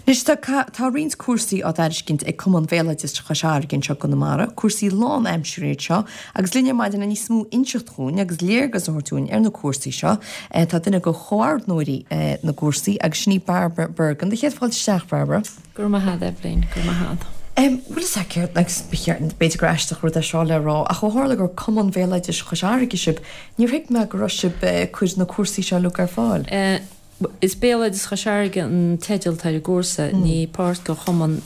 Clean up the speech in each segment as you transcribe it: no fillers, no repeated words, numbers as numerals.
Anois tá tá roinnt cúrsaí á dtairiscint ag Cumann Bhéaloideas Chois Fharraige anseo i gConamara, cúrsaí lán-aimsire iad seo, agus linn ar maidin le níos mó inseacht dhúinn agus léargas a thabhairt dúinn ar na cúrsaí seo, tá duine de chomhordnóirí na gcúrsaí agus sin í Barbara Bergin. Do chéad fáilte isteach, Barbara. Go raibh maith agat, Eibhlín, go raibh maith agat. Bhfuil fhios agat céard, agus ba cheart, b'fhéidir gur aisteach rud é seo le rá, ach ó tharla gur Cumann Bhéaloidis Chois Fharraige sibh, níor thuig mé go raibh sibh ag cur na cúrsaí seo uilig ar fáil. Is Béaloideas Chois Fharraige an teideal atá ar an gcúrsa, ní páirt de chumann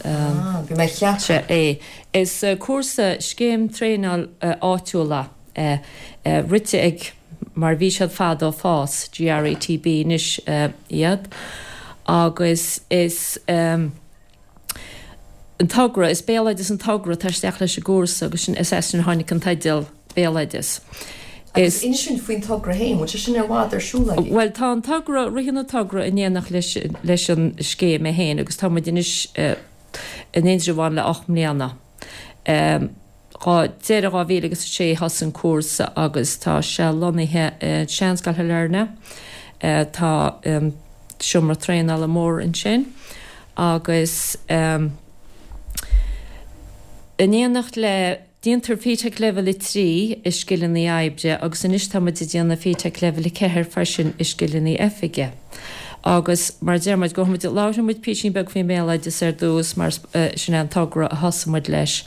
é. Is cúrsa scéim traenáil áitiúil é, rite ag, mar bhí siad fadó, FÁS, GRETB anois iad, agus is. an togra, is béaloideas an togra atá isteach leis an gcúrsa agus sin, is as sin a tháinig an teideal Béaloideas. Agus inis dúinn faoin togra féin, bhfuil sé sin i bhfad ar siúl agaibh? Bhuel tá an togra, ritheann an togra in éineacht leis, leis an scéim é féin agus tá muid anois in Indreabhán le 8 mbliana. Deireadh 2006 thosaigh an cúrsa agus tá sé lonnaithe i Seanscoil Shailearna. Tá seomra traenála mór ansin agus in éineacht le, déantar FETAC Leibhéal 3 i scileanna oibre agus anois tá muid ag déanamh FETAC Leibhéal 4 freisin i scileanna oifige. Agus mar a deir muid, gabhfaidh muid, labharfaidh muid písín beag faoin mbéaloideas ar dtús mar sin é an togra a thosaigh muid leis.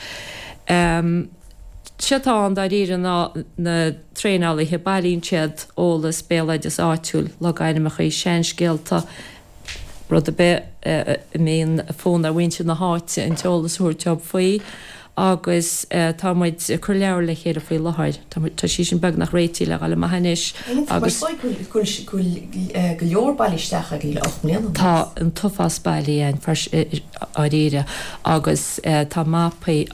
Sé atá ann dáiríre ná na traenálaithe, bailíonn siad eolas béaloideas áitiúil, logainmneacha, seanscéalta, rud ar bith a mbíonn fonn ar mhuintir na háite an t-eolas a thabhairt dóibh faoi agus tá muid ag cur leabhar le chéile faoi láthair. Tá sí sin beagnach réitithe le dhul amach anois agus. Mar is dóigh go bhfuil go leor bailithe isteach agaibh le 8 mbliana anuas. Tá an t-uafás bailithe againn dáiríre agus tá mapaí,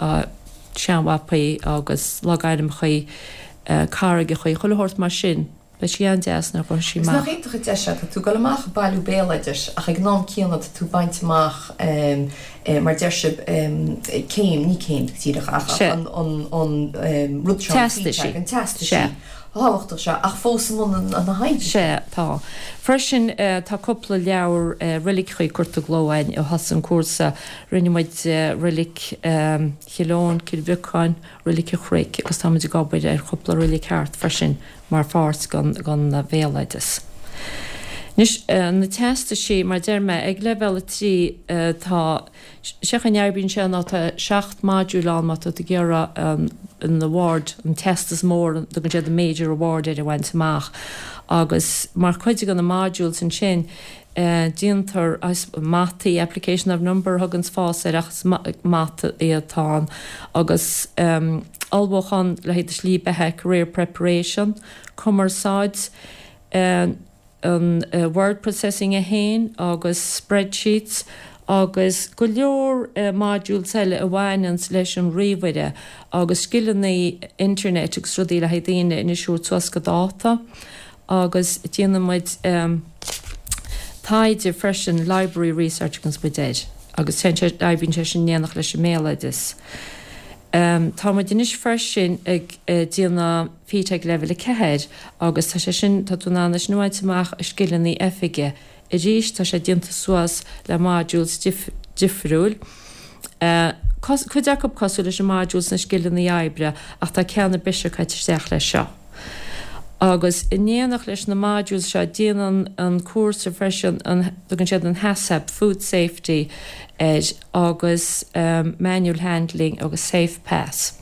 seanmhapaí agus logainmneacha, carraigeacha, chuile shórt mar sin. Beidh sí an-deas nuair a ghabhfaidh sí Agus nach amach. iontach an deis é, tá tú ag dul amach ag bailiú béaloidis ach ag an am céanna tá tú ag baint amach mar deir sibh céim, ní céim go díreach ach Sea. an an rud seo, an Teastais. FETAC, an teastas Sea. thábhachtach seo ach fós i mbun na hoibre. Sea, tá. Freisin tá cúpla leabhar roiligeacha curtha i gcló againn ó thosaigh an cúrsa. Rinne muid roilig Chill Eoin, Cill Bhiocáin, Roilig an Chnoic agus tá muid ag obair ar chúpla roilig thart freisin mar pháirt den bhéaloideas. Anois, na teastaisí, mar a deir mé, ag leibhéal 3 tá, sé chaoi a n-oibríonn sé ná tá 7 module ann má tá tú ag iarraidh an award, an teastas mór, tugann siad an major award air a bhaint amach agus mar chuid de na modules ansin, Déantar mataí, application of number a thuganns FÁS air ach is mata atá ann, agus ullmhúchán le haghaidh do shlí beatha, career preparation, cumarsáid, an word processing é féin agus spreadsheets agus go leor modules eile a bhaineanns leis an ríomhaire agus scileanna internet agus rudaí le haghaidh daoine anois a thabhairt suas go dáta. Agus déanann muid taighde freisin, library research a thuganns muid air, agus téann sé, oibríonn sé sin in éineacht leis an mbéaloideas. Tá muid anois freisin ag déanamh FETAC Leibhéal 4 agus tá sé sin, tá tú in ann é sin a bhaint amach i scileanna oifige. Arís tá sé déanta suas le modules difriúil, cuid acu cosúil leis an modules sna scileanna oibre ach tá ceanna breise caite isteach leis seo. Agus in éineacht leis na modules seo déanann an cúrsa freisin an, tugann siad an HACCP, Food Safety, air agus Manual Handling agus Safe Pass.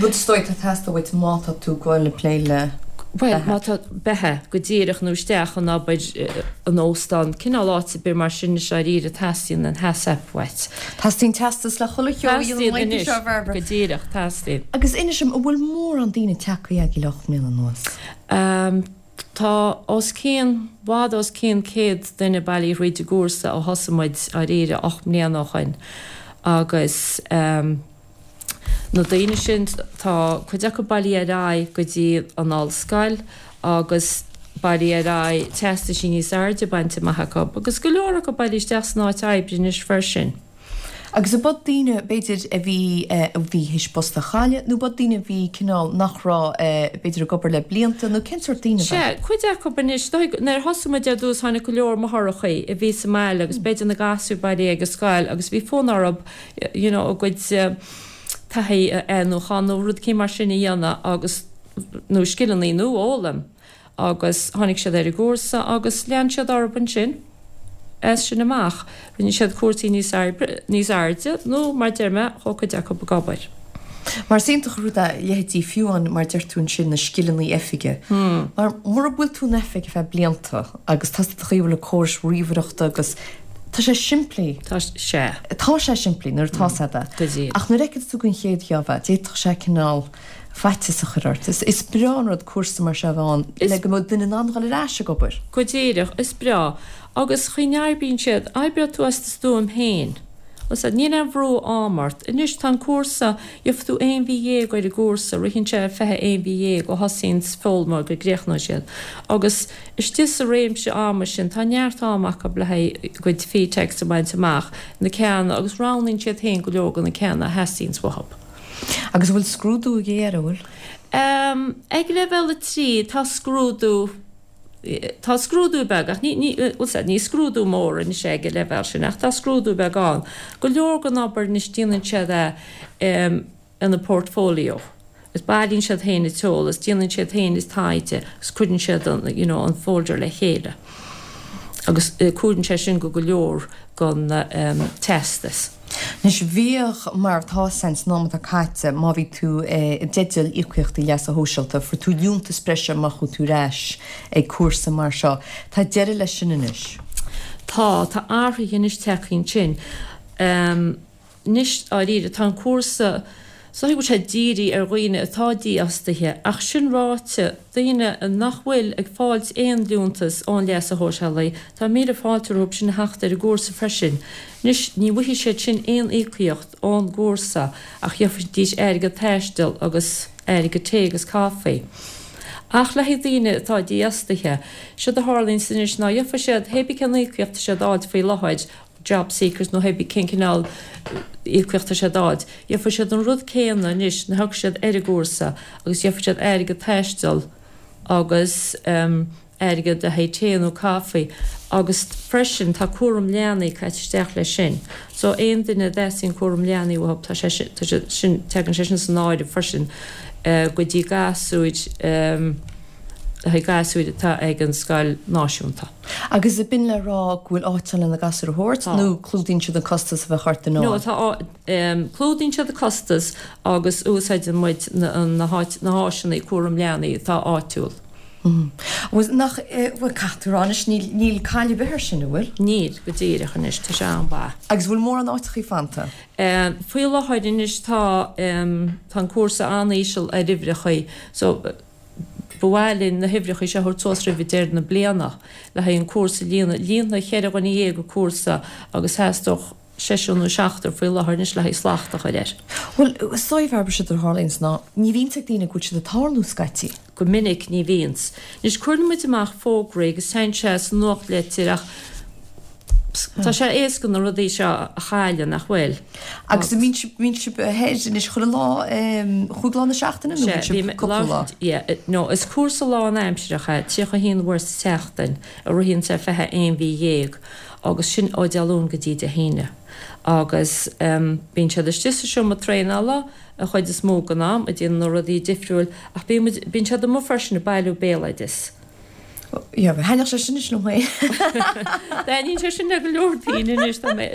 Rud is dóigh atá ag teastáil uait má tá tú ag goil ag plé le Bhuel, má tá beatha, go díreach nó isteach in obair in óstán, cineál áit ar bith mar sin is dáiríre teastaíonn an HACCP uait. Teastaíonn teastas le chuile cheo a dhéanamh Teastaíonn anois, seo, Barbara. go díreach, teastaíonn. Agus inis dom, an bhfuil mórán daoine tagtha agaibh le 8 mbliana anuas? Tá os cionn, i bhfad os cionn 100 duine bailithe thríd an gcúrsa ó thosaigh muid, dáiríre, 8 mbliana ó shoin agus. Na daoine sin, tá cuid acu bailithe ar aghaidh go dtí an ollscoil agus bailithe ar aghaidh, teastaisí níos airde bainte amach acu agus go leor acu bailithe isteach san áit oibre anois freisin. Agus ab iad daoine, b'fhéidir, a bhí, a bhí théis post a chailleadh nó ab iad daoine a bhí cineál nach raibh, b'fhéidir, ag obair le blianta nó cén sórt daoine ab ea? Sea, cuid acu anois, nuair a thosaigh muid ar dtús tháinig go leor máithreachaí a bhí sa mbaile agus b'fhéidir na gasúir bailithe ag an scoil agus bhí fonn orthu you know a gcuid taithí a athnuachan nó rud éicint mar sin a dhéanamh agus, nó scileanna nua a fhoghlaim. Agus tháinig siad ar an gcúrsa agus lean siad orthu ansin as sin amach. Rinne siad cúrsaí níos níos airde nó, mar deir mé, chuaigh cuid acu ag obair. Mar is iontach an rud é, leithéidí fiú amháin mar deir tú ansin, na scileanna oifige. Mar mura bhfuil tú in oifig ar feadh blianta agus tá tú taobh le córais ríomhaireachta agus tá sé simplí. Tá sé. Tá sé simplí nuair atá sé de. Go díreach. Ach nuair a fheiceann tú den chéad gheábh é, d'fhéadfadh sé cineál. faitíos a chur ort. Is breá an rud cúrsa mar seo a bheith ann le go mbeadh duine in ann dhul ar ais ag obair. Go díreach, is breá. Agus chaoi n-oibríonn siad, oibreoidh tú as do stuaim féin. Bhfuil a fhios agat, níl aon bhrú ama ort. Anois tá an cúrsa, gheobhaidh tú aon mhí dhéag ar an gcúrsa, ritheann sé ar 21 mhí dhéag ó thosaíonn foghlaimeoir go gcríochnóidh siad. Agus istigh sa réimse ama sin tá neart ama acu le haghaidh a gcuid FETACs a bhaint amach, na ceanna, agus roghnaíonn siad féin go leor de na ceanna a theastaíonns uathu. Agus an bhfuil scrúdú ag deireadh, an bhfuil? Ag leibhéal 3 tá scrúdú, tá scrúdú beag ach ní, ní, bhfuil a fhios agat, ní scrúdú mór anois é ag an leibhéal sin ach tá scrúdú beag ann. Go leor den obair anois déanann siad é ina portfolio agus bailíonn siad féin an t-eolas, déanann siad féin an taighde agus cuireann siad an, you know, an folder le chéile agus cuireann sé sin go go leor den teastas. Anois, bhíodh, mar atá san am atá caite, má bhí tú i dteideal íocaíochtaí leasa shóisialta, fuair tú liúntas breise má chuaigh tú ar ais ag cúrsa mar seo. Tá deireadh leis sin anois. Tá, tá athruithe anois tagtha ansin. Anois, dáiríre, tá an cúrsa, is dóigh go bhfuil sé dírithe ar dhaoine atá dífhostaithe, ach sin ráite, daoine nach bhfuil ag fáilt aon liúntas ón leasa shóisialaigh, tá míle fáilte rompu sin a theacht ar an gcúrsa freisin. Anois, ní bhfaighidh siad sin aon íocaíocht ón gcúrsa ach gheobhaidís airgead taistil agus airgead tae agus caife. Ach le haghaidh daoine atá dífhostaithe, séard a tharlaíonns anois ná gheobhaidh siad, hé bith cén íocaíocht tá siad a fháilt faoi láthair, jobseekers nó hé bith cén cineál íocaíocht tá siad a fháilt, gheobhaidh siad an rud céanna anois nuair a thiocfaidh siad ar an gcúrsa agus gheobhaidh siad airgead taistil agus airgead le haghaidh tae nó caife agus freisin tá cúram leanaí caite isteach leis sin. So aon duine a dteastaíonn cúram leanaí uathu tá sé sin, tá sé sin, tagann sé sin san áireamh freisin go dtí gasúir le haghaidh gasúir atá ag an scoil náisiúnta. Agus ab in le rá go bhfuil áit ann le na gasúir a thabhairt Tá. nó clúdaíonn siad an costas a bheadh ort i No, ndáil? tá, clúdaíonn siad an costas agus úsáideann muid na, na háit, na háiseanna cúram leanaí atá áitiúil. Bhuel, nach, bhuel, caithfidh tú a rá anois, níl, níl caill ar bith air sin, an bhfuil? Níl, go díreach anois, tá sé an-mhaith. Agus bhfuil mórán áiteachaí fanta? Faoi láthair anois tá, tá an cúrsa an-íseal ar uimhreachaí, so, Ba mhaith linn na huimhreacha seo a thabhairt suas roimh deireadh na bliana le haghaidh an cúrsa a líonadh. Líonfaidh cheithre dhuine dhéag an cúrsa agus theastódh seisear nó seachtar faoi láthair anois le haghaidh slacht a chur air. Bhuel, is dóigh, Bhairbre, séard a tharlaíonns ná ní bhíonns ag daoine go bhfuil siad ag tarlú scaití. Go minic ní bhíonns. Anois cuireann muid amach fógraí agus téann sé sa nuachtlitir ach Tá sé éasca na rudaí seo a chailleadh, nach bhfuil? Agus an mbíonn sibh, bíonn sibh thoir anois chuile lá, chúig lá na seachtaine nó bíonn sibh cúpla lá? Yeah, no, is cúrsa lánaimsearach é, 31 uair sa tseachtain, a ritheann sé 21 mhí dhéag, agus sin ó Dé Luain go dtí Dé hAoine. Agus bíonn siad istigh sa seomra traenála an chuid is mó den am, ag déanamh na rudaí difriúil, ach bíonn muid, bíonn siad amuigh freisin ag bailiú béaloideas. Yeah, thaitneodh sé sin anois liom féin. Taitníonn sé sin le go leor daoine anois tá mé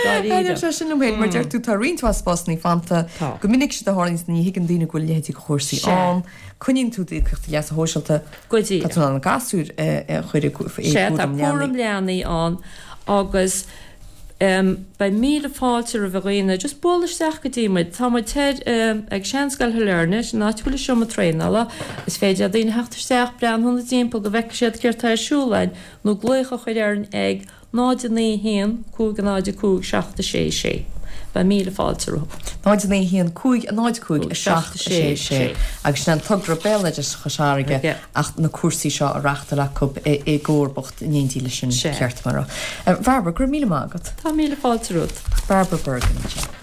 dáiríre. Thaitneodh sé sin liom féin, mar deir tú tá roinnt mhaith spásanna fanta. Tá. Go minic séard a tharlaíonns ní thuigeann daoine go bhfuil leithéidí de chúrsaí Sea. ann. Coinníonn tú d'íocaíochtaí leasa shóisialta. Go díreach. Tá tú in ann gasúir a chur i Sea, tá gcúram leanaí. cúram leanaí ann agus Beidh míle fáilte roimh dhaoine just bualadh isteach go dtí muid. Tá muid thoir ag Seanscoil Shailearna, sin an áit a bhfuil an seomra traenála. Is féidir le daoine theacht isteach, breathnú ina dtimpeall go bhfeicfidh siad céard tá ar siúl againn nó glaoch a chur orainn ag 0 9 1 5 0 5 7 6 6. Beidh míle fáilte rompu. 0 9 1 5 0 5 7 6 6 Agus sin an togra Béaloideas Chois Fharraige ach na cúrsaí seo á reachtáil acu i gcomharbacht in éindí leis an ceart mar. Barbara, go raibh míle maith agat. Tá míle fáilte romhat. Barbara Bergin ansin.